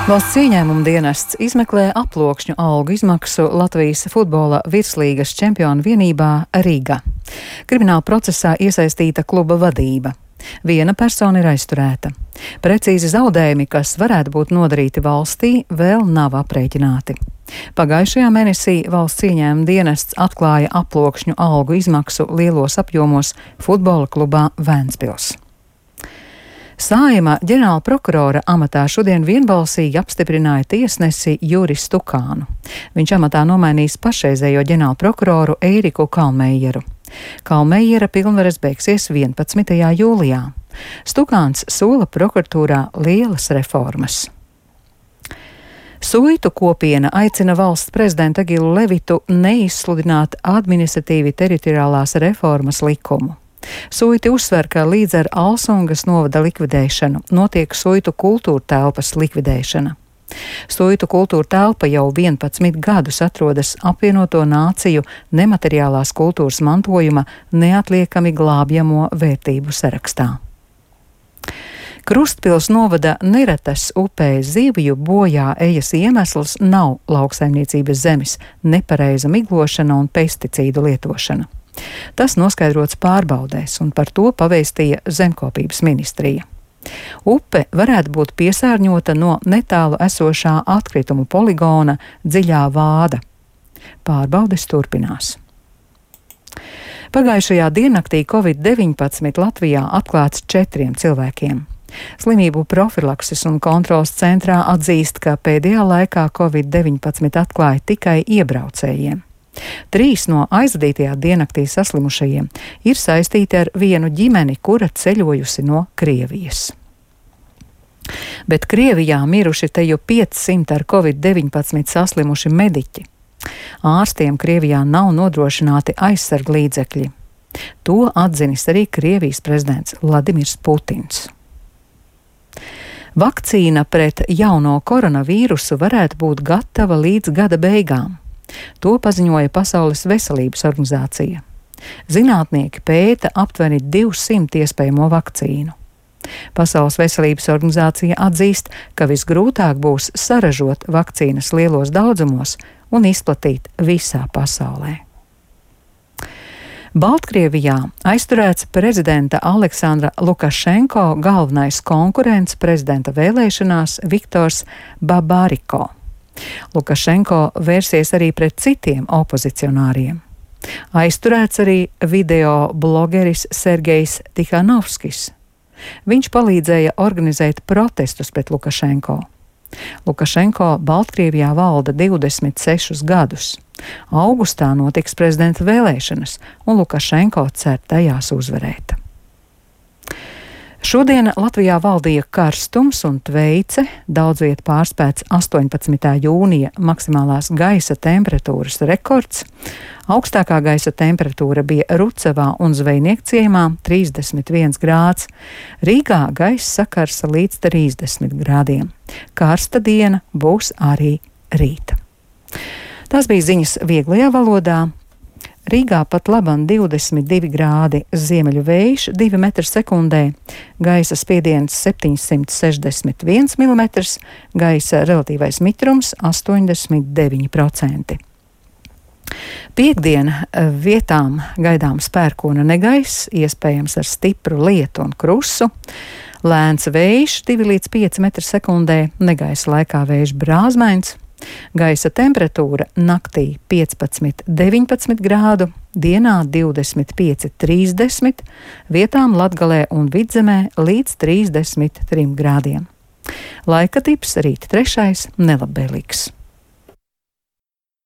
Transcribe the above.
Valsts ieņēmuma dienests izmeklē aploksņu algu izmaksu Latvijas futbola virslīgas čempionu vienībā Rīgā. Krimināla procesā iesaistīta kluba vadība. Viena persona ir aizturēta. Precīzi zaudējumi, kas varētu būt nodarīti valstī, vēl nav aprēķināti. Pagājušajā mēnesī valsts ieņēmuma dienests atklāja aploksņu algu izmaksu lielos apjomos futbola klubā Vēnspils. Saeima ģenerāla prokurora amatā šodien vienbalsīgi apstiprināja tiesnesi Juris Stukānu. Viņš amatā nomainīs pašreizējo ģenerāla prokuroru Eiriku Kalmeieru. Kalmeiera pilnvaras beigsies 11. jūlijā. Stukāns sola prokuratūrā lielas reformas. Suitu kopiena aicina valsts prezidentu Egilu Levitu neizsludināt administratīvi teritoriālās reformas likumu. Suiti uzsver, ka līdz ar Alsungas novada likvidēšanu notiek suitu kultūra telpas likvidēšana. Suitu kultūra telpa jau 11 gadus atrodas apvienoto nāciju nemateriālās kultūras mantojuma neatliekami glābjamo vērtību sarakstā. Krustpils novada Neretas upē zivju bojā ejas iemesls nav lauksaimniecības zemes nepareiza miglošana un pesticīdu lietošana. Tas noskaidrots pārbaudēs, un par to pavēstīja Zemkopības ministrija. Upe varētu būt piesārņota no netālu esošā atkritumu poligona Dziļā Vāda. Pārbaudes turpinās. Pagājušajā diennaktī Covid-19 Latvijā atklāts 4 cilvēkiem. Slimību profilakses un kontrolas centrā atzīst, ka pēdējā laikā Covid-19 atklāja tikai iebraucējiem. 3 no aizvadītajā diennaktī saslimušajiem ir saistīti ar vienu ģimeni, kura ceļojusi no Krievijas. Bet Krievijā miruši te jau 500 ar Covid-19 saslimuši mediķi. Ārstiem Krievijā nav nodrošināti aizsarglīdzekļi. To atzinis arī Krievijas prezidents Vladimirs Putins. Vakcīna pret jauno koronavīrusu varētu būt gatava līdz gada beigām. To paziņoja Pasaules veselības organizācija. Zinātnieki pēta aptuveni 200 iespējamo vakcīnu. Pasaules veselības organizācija atzīst, ka visgrūtāk būs saražot vakcīnas lielos daudzumos un izplatīt visā pasaulē. Baltkrievijā aizturēts prezidenta Aleksandra Lukašenko galvenais konkurents prezidenta vēlēšanās Viktors Babariko. Lukašenko vērsies arī pret citiem opozicionāriem. Aizturēts arī video blogeris Sergejs Tikhanovskis. Viņš palīdzēja organizēt protestus pret Lukašenko. Lukašenko Baltkrievijā valda 26 gadus. Augustā notiks prezidenta vēlēšanas, un Lukašenko cer tajās uzvarēt. Šodien Latvijā valdīja karstums un tveice, daudz viet pārspēts 18. jūnija maksimālās gaisa temperatūras rekords. Augstākā gaisa temperatūra bija Rucavā un Zvejniekciemā 31 grāds. Rīgā gaisa sakarsa līdz 30 grādiem. Karsta diena būs arī rīta. Tās bija ziņas vieglajā valodā. Rīgā pat labam 22 grādi, ziemeļu vējš 2 metri sekundē, gaisa spiediens 761 mm, gaisa relatīvais mitrums 89%. Piektdien vietām gaidāms pērkona negaiss, iespējams ar stipru lietu un krusu. Lēns vējš 2 līdz 5 metri sekundē, negaisa laikā vējš brāzmains. Gaisa temperatūra naktī 15–19 grādu, dienā 25–30, vietām Latgalē un Vidzemē līdz 33 grādiem. Laika tips rīt 3. nelabvēlīgs.